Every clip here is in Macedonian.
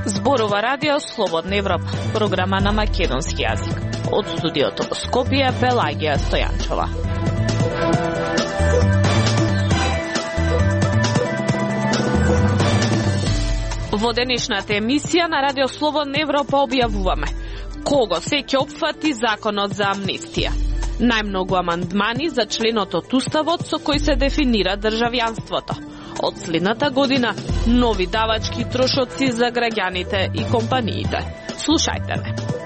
Зборува радио Слободна Европа, програма на македонски јазик. Од студиото во Скопје, Пелагија Стојанчова. Во денешната емисија на радио Слободна Европа објавуваме кого се ќе опфати законот за амнестија. Најмногу амандмани за членот од Уставот со кој се дефинира државјанството. Од следната година нови давачки трошоци за граѓаните и компаниите. Слушајте ме.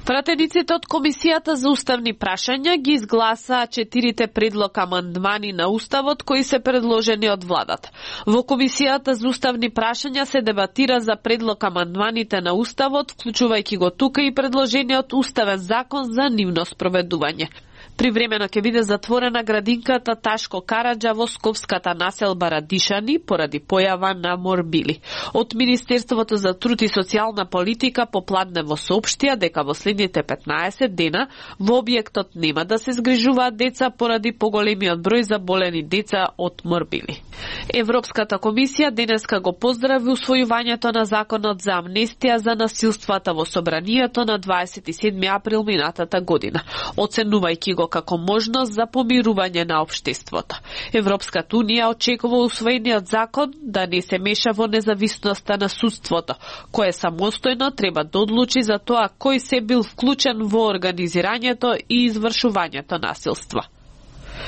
Пратениците од Комисијата за уставни прашања ги изгласаа 4 предлог амандмани на Уставот кои се предложени од владата. Во Комисијата за уставни прашања се дебатира за предлог амандманите на Уставот, вклучувајќи го тука и предложениот уставен закон за нивно спроведување. Привремено ќе биде затворена градинката Ташко Караджа во скопската населба Радишани поради појава на морбили. Од Министерството за труд и социјална политика попладнево соопштија дека во следните 15 дена во објектот нема да се згрижуваат деца поради поголемиот број заболени деца од морбили. Европската комисија денеска го поздрави усвојувањето на законот за амнестија за насилствата во собранието на 27 април минатата година, оценувајќи го како можност за помирување на општеството. Европската унија очекува усвоениот закон да не се меша во независноста на судството, кое самостојно треба да одлучи за тоа кој се бил вклучен во организирањето и извршувањето насилства.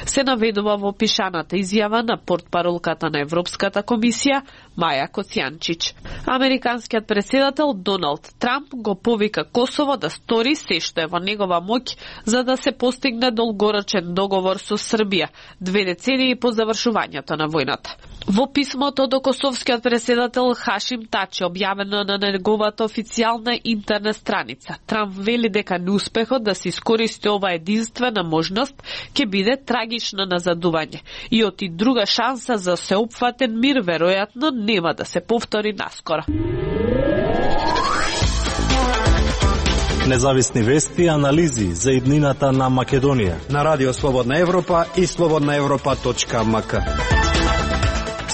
Се наведува во пишаната изјава на портпаролката на Европската комисија Маја Коцјанчич. Американскиот председател Доналд Трамп го повика Косово да стори се што е во негова моќ за да се постигне долгорочен договор со Србија, 2 децении по завршувањето на војната. Во писмото до косовскиот председател Хашим Тачи, објавено на неговата официјална интернет страница, Трамп вели дека неуспехот да се искористи ова единствена можност ќе биде трагично назадување и оти друга шанса за сеопфатен мир веројатно нема да се повтори наскоро. Независни вести и анализи за иднината на Македонија на Радио Слободна Европа и slobodnaevropa.mk.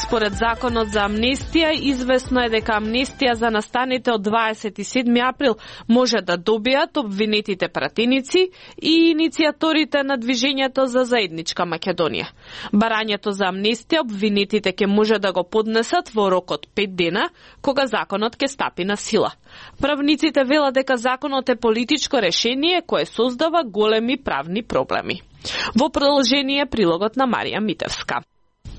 Според законот за амнестија, известно е дека амнестија за настаните од 27 април може да добијат обвинетите пратеници и иницијаторите на движењето за заедничка Македонија. Барањето за амнестија обвинетите ќе може да го поднесат во рок од 5 дена, кога законот ќе стапи на сила. Правниците велат дека законот е политичко решение кое создава големи правни проблеми. Во продолжение прилогот на Марија Митевска.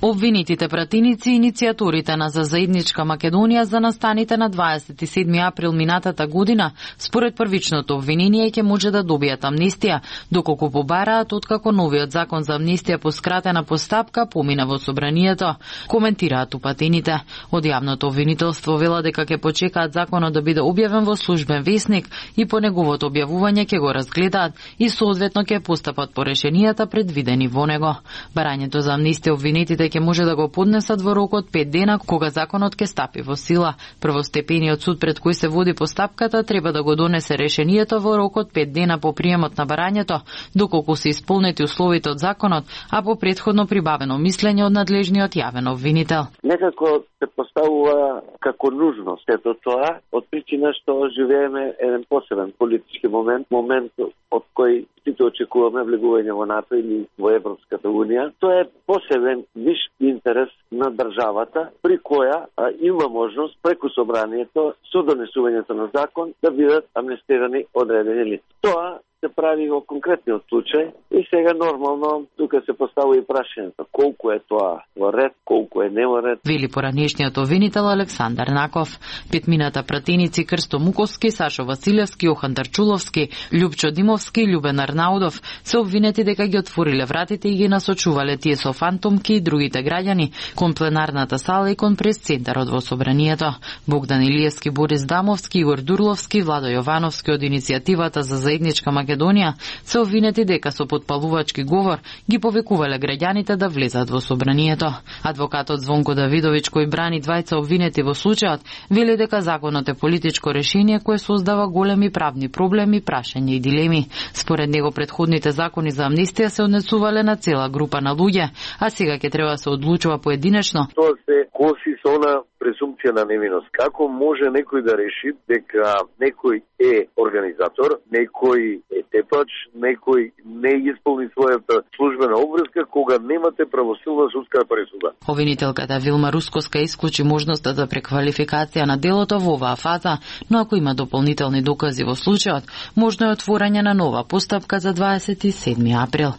Обвинетите пратеници и иницијаторите на за заедничка Македонија за настаните на 27 април минатата година, според првичното обвинение ќе може да добијат амнестија, доколку побараат откако новиот закон за амнестија по скратена постапка помина во собранието, коментираат упатените. Од јавното обвинителство вела дека ќе почекаат законот да биде објавен во службен весник и по неговото објавување ќе го разгледаат и соодветно ќе постапат по решенијата предвидени во него. Барањето за амнестија обвинетите ќе може да го поднесат во рок од 5 дена кога законот ќе стапи во сила. Првостепениот суд пред кој се води постапката треба да го донесе решението во рок од 5 дена по приемот на барањето, доколку се исполнети условите од законот, а по претходно прибавено мислење од надлежниот јавен обвинител. Некако се поставува како нужност сето тоа, од причина што живееме еден посебен политички момент од кој сите очекуваме влегување во НАТО или во Европската Унија. Тоа е посебен виш интерес на државата, при која има можност преку собранието со донесувањето на закон да бидат амнестирани одредени лица. Тоа се прави во конкретниот случај и сега нормално тука се поставува и прашањето колку е тоа во ред, колку е не во ред. Вели поранешниот обвинител Александар Наков. Петмината пратеници Крсто Муковски, Сашо Василевски, Јохан Тарчуловски, Љупчо Димовски и Љубен Арнаудов се обвинети дека ги отвориле вратите и ги насочувале тие со фантомки и другите граѓани кон пленарната сала и кон прес-центарот во собранието. Богдан Илиевски, Борис Дамовски, Игор Дурловски, Владо Јовановски од иницијативата за заедничка Македонија се обвинети дека со потпалувачки говор ги повикувале граѓаните да влезат во собранието. Адвокатот Звонко Давидовиќ, кој брани двајца обвинети во случајот, вели дека законот е политичко решение кое создава големи правни проблеми, прашања и дилеми. Според него претходните закони за амнестија се однесувале на цела група на луѓе, а сега ќе треба да се одлучува поединечно. Тоа се коси со она презумпција на невиност. Како може некој да реши дека некој е организатор, некој е тепач, некој не исполни својата службена обврска кога немате правосилна судска пресуда? Обвинителката Вилма Рускоска исклучи можноста за преквалификација на делото во оваа фаза, но ако има дополнителни докази во случајот, можно е отворање на нова постапка за 27 април.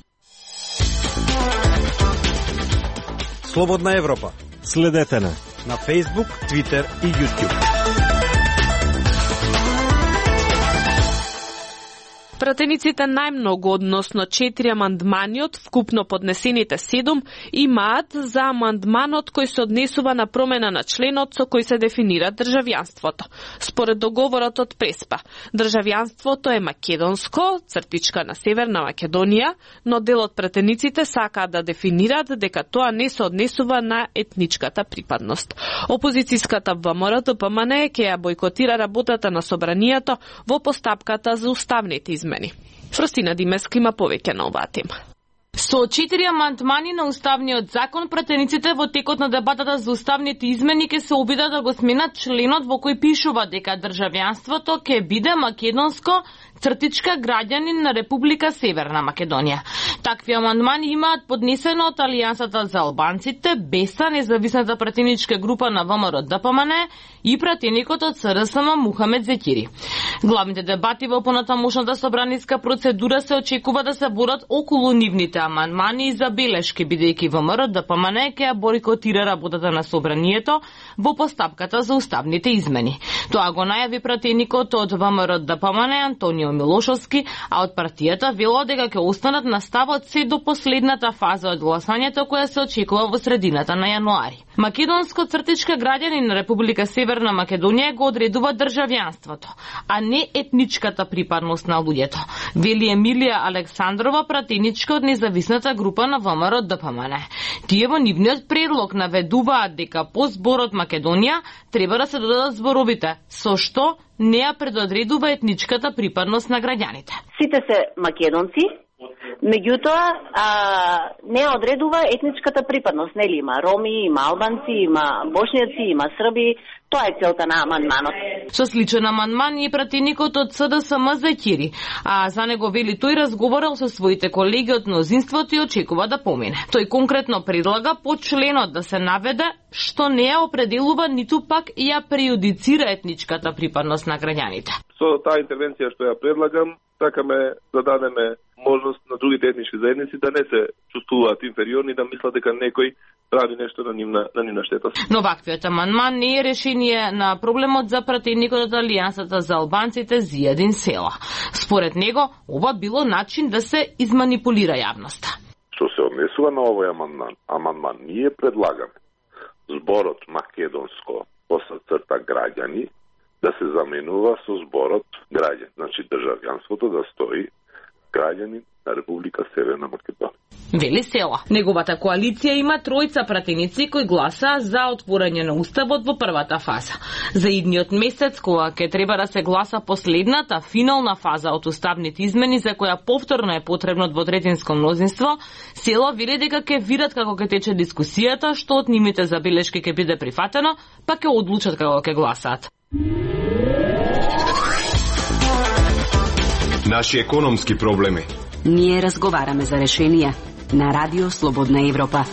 Слободна Европа. Следете на Facebook, Twitter и YouTube. Пратениците најмногу, односно 4 амандмани од вкупно поднесените 7, имаат за амандманот кој се однесува на промена на членот со кој се дефинира државјанството. Според договорот од Преспа, државјанството е македонско, цртичка на Северна Македонија, но дел од пратениците сакаат да дефинираат дека тоа не се однесува на етничката припадност. Опозицијската ВМРО-ДПМН ќе ја бойкотира работата на собранието во постапката за уставните измени. Фростина Димески има повеќе на оваа тема. Со 4 амандмани на уставниот закон, пратениците во текот на дебатата за уставните измени ќе се обидат да го сменат членот во кој пишува дека државјанството ќе биде македонско, цртичка граѓанин на Република Северна Македонија. Такви амандмани имаат поднесено од Алијансата за албанците, БЕСА, независната пратеничка група на ВМРО-ДПМН и пратеникот од СРСМ Мухамед Зекири. Главните дебати во понатамошната собраниска процедура се очекува да се водат околу нивните амандмани и забелешки, бидејќи ВМРО-ДПМН ќе ја бойкотира работата на собранието во постапката за уставните измени. Тоа го најави пратеникот од ВМРО-ДПМН Антонио Милошовски, а од партијата вело дека ќе останат на ставот се до последната фаза од гласањето која се очекува во средината на јануари. Македонско цртичка граѓанин на Република Северна Македонија го одредува државјанството, а не етничката припадност на луѓето, вели Емилија Александрова, пратеничка од независната група на ВМРО-ДПМН. Тие во нивниот предлог наведуваат дека по зборот Македонија треба да се додадат зборовите со што не ја предодредува етничката припадност на граѓаните. Сите се македонци, меѓутоа не одредува етничката припадност, нели има роми, има албанци, има бошњаци, има срби. Тоа е целта на амандманот. Со сличен амандман и пратеникот од СДСМ Зекири, а за него вели тој разговарал со своите колеги од мнозинството и очекува да помине. Тој конкретно предлага по членот да се наведе што не ја определува ниту пак и ја преюдицира етничката припадност на граѓаните. Со таа интервенција што ја предлагам, сакаме да дадеме можност на другите етнички заедници да не се чувствуваат инфериорни, да мислат дека некој прави нешто на нивна штета. Но ваквиот амандман не е решение на проблемот за пратеникот од Алијансата за албанците Зијадин Села. Според него, ова било начин да се изманипулира јавноста. Што се однесува на овој амандман, ние предлагаме зборот македонско после црта граѓани да се заменува со зборот граѓан. Значи државјанството да стои граѓанин на Република Северна Македонија. Вели Села. Неговата коалиција има тројца пратеници кои гласаа за отворање на уставот во првата фаза. За идниот месец, кога ќе треба да се гласа последната финална фаза од уставните измени за која повторно е потребно двотретинско мнозинство, Села вели дека ќе видат како ќе тече дискусијата, што од нивните забелешки ќе биде прифатено, па ќе одлучат како ќе гласаат. Наши економски проблеми. Ние разговараме за решенија на Радио Слободна Европа.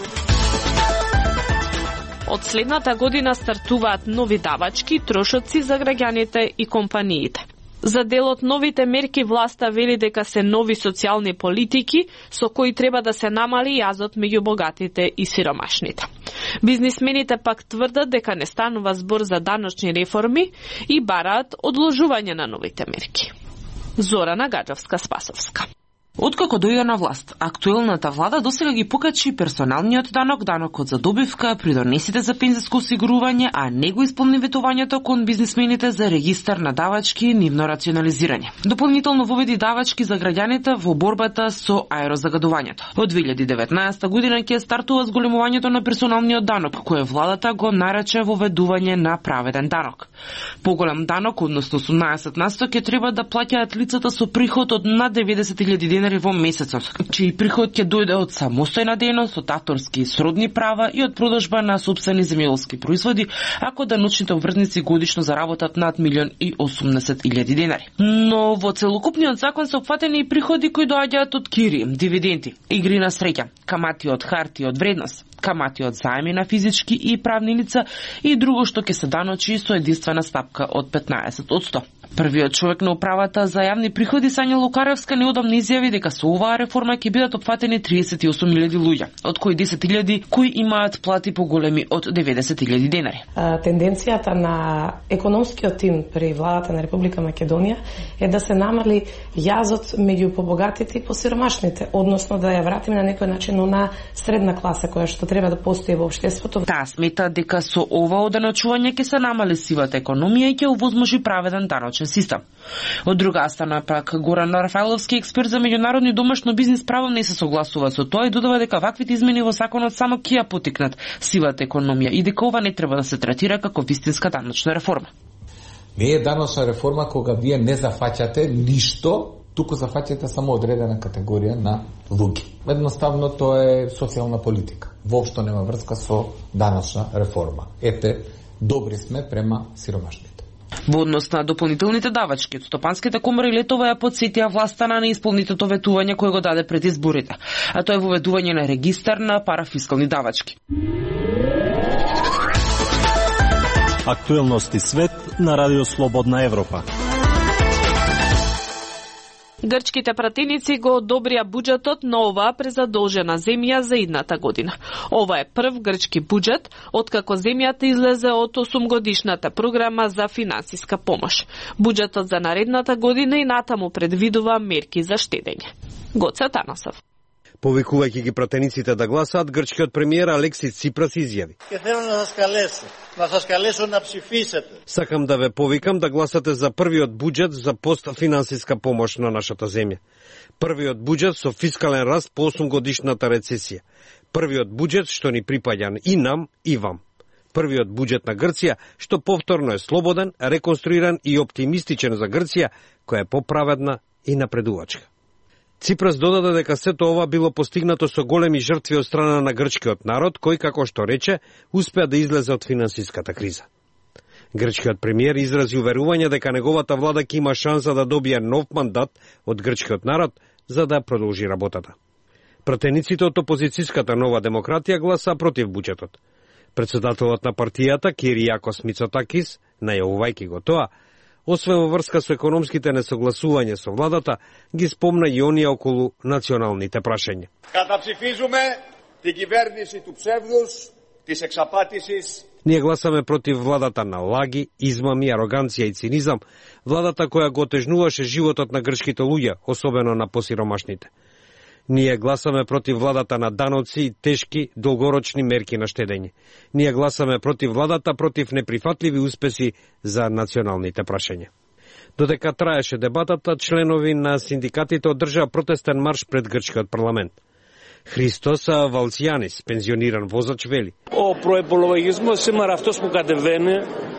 Од следната година стартуваат нови давачки, трошоци за граѓаните и компаниите. За дел од новите мерки власта вели дека се нови социјални политики со кои треба да се намали јазот меѓу богатите и сиромашните. Бизнисмените пак тврдат дека не станува збор за даночни реформи и бараат одложување на новите мерки. Зорана Гаджовска-Спасовска. Откако дојде на власт, актуелната влада досега ги покачи персоналниот данок, данокот за добивка, придонесите за пензиско осигурување, а не го исполни ветувањето кон бизнисмените за регистар на давачки и нивно рационализирање. Дополнително воведи давачки за граѓаните во борбата со аерозагадувањето. Од 2019 година ќе стартува зголемувањето на персоналниот данок, кое владата го нарече воведување на праведен данок. Поголем данок, односно 18% ќе треба да плаќаат лицата со приход од над 90.000 денари во месецот, чиј приход ќе дојде од самостојна дејност, од авторски и сродни права и од продажба на сопствени земјоделски производи, ако даночните обврзници годишно заработат над 1.080.000 денари. Но во целокупниот закон се опфатени и приходи кои доаѓаат од кири, дивиденти, игри на среќа, камати од харти од вредност, камати од заеми на физички и правни лица и друго што ќе се даночи со единствена стапка од 15%. Првиот човек на управата за јавни приходи Сања Лукаревска неодамно изјави дека со оваа реформа ќе бидат опфатени 38.000 луѓе, од кои 10.000 кои имаат плати поголеми од 90.000 денари. Тенденцијата на економскиот тим при владата на Република Македонија е да се намали јазот меѓу побогатите и посиромашните, односно да ја вратиме на некој начин на средна класа која што треба да постои во општеството. Таа смета дека со ова оданочување ќе се намали сивата економија и ќе овозможи праведен даночен систем. Од друга страна пак Горан Рафаеловски, експерт за меѓународни домашно бизнис право, не се согласува со тоа и додава дека ваквите измени во законот само ќе ја потикнат сивата економија и дека ова не треба да се третира како вистинска даночна реформа. Не е даночна реформа кога вие не зафаќате ништо, туку зафаќате само одредена категорија на луѓе. Едноставно тоа е социјална политика. Воопшто нема врска со даночна реформа. Ете, добри сме према сиромашните. Во однос на дополнителните давачки, стопанските комори летова ја подсетија власта на неисполнитото ветување кое го даде пред изборите, а тоа е воведување на регистар на парафискални давачки. Актуелности свет на Радио Слободна Европа. Грчките пратеници го одобрија буџетот на оваа презадолжена земја за идната година. Ова е прв грчки буџет откако земјата излезе од 8-годишната програма за финансиска помош. Буџетот за наредната година и натаму предвидува мерки за штедење. Гоце Танасов. Повикувајќи ги пратениците да гласаат, грчкиот премиер Алексис Ципрас изјави: Сакам да ве повикам да гласате за првиот буџет за постфинансиска помош на нашата земја. Првиот буџет со фискален раст по 8-годишната рецесија. Првиот буџет што ни припаѓа и нам и вам. Првиот буџет на Грција што повторно е слободен, реконструиран и оптимистичен за Грција, која е поправедна и напредувачка. Ципрас додаде дека сето ова било постигнато со големи жртви од страна на грчкиот народ, кој, како што рече, успеа да излезе од финансиската криза. Грчкиот премиер изрази уверување дека неговата влада ќе има шанса да добие нов мандат од грчкиот народ за да продолжи работата. Пратениците од опозицијската Нова демократија гласа против буџетот. Председателот на партијата Киријакос Мицотакис, најавувајќи го тоа, освен во врска со економските несогласувања со владата, ги спомна и оние околу националните прашања. Καταψηφίζουμε την κυβέρνηση του ψεύδους, της εξαπάτησης. Ние гласаме против владата на лаги, измами, ароганција и цинизам, владата која го отежнуваше животот на грчките луѓе, особено на посиромашните. Ние гласаме против владата на даноци и тешки, долгорочни мерки на штедење. Ние гласаме против владата, против неприфатливи успеси за националните прашања. Додека траеше дебатата, членови на синдикатите одржаа протестен марш пред грчкиот парламент. Христос Валцијанис, пензиониран возач, вели: Ο προϋπολογισμός σήμερα αυτός που κατεβαίνει.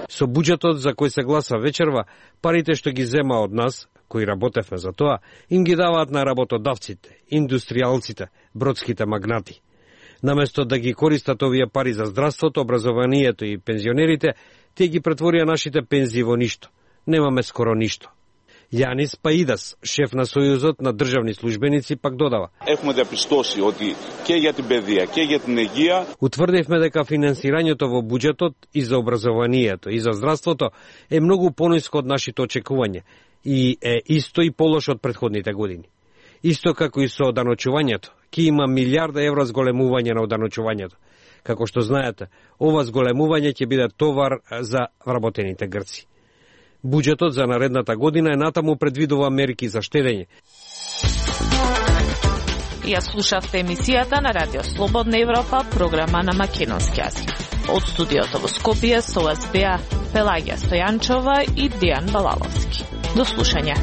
Со буџетот за кој се гласа вечерва, парите што ги зема од нас, кои работевме за тоа, им ги даваат на работодавците, индустријалците, бродските магнати. Наместо да ги користат овие пари за здравството, образованието и пензионерите, тие ги претворија нашите пензии во ништо. Немаме скоро ништо. Јанис Паидас, шеф на Сојузот на државни службеници, пак додава: Έχουμε διαπιστώσει ότι και για την παιδεία και για την υγεία. Утврдивме дека финансирањето во буџетот и за образованието и за здравството е многу пониско од нашите очекувања и е исто и полош од претходните години. Исто како и со оданочувањето, ќе има милиарда евра зголемување на оданочувањето. Како што знаете, ова зголемување ќе биде товар за вработените грци. Буџетот за наредната година е натаму предвидува мерки за штедење. Ја слушавте емисијата на Радио Слободна Европа, програма на македонски јазик. Од студиото во Скопје со вас беа Пелагија Стојанчова и Дијан Балаловски. До слушање.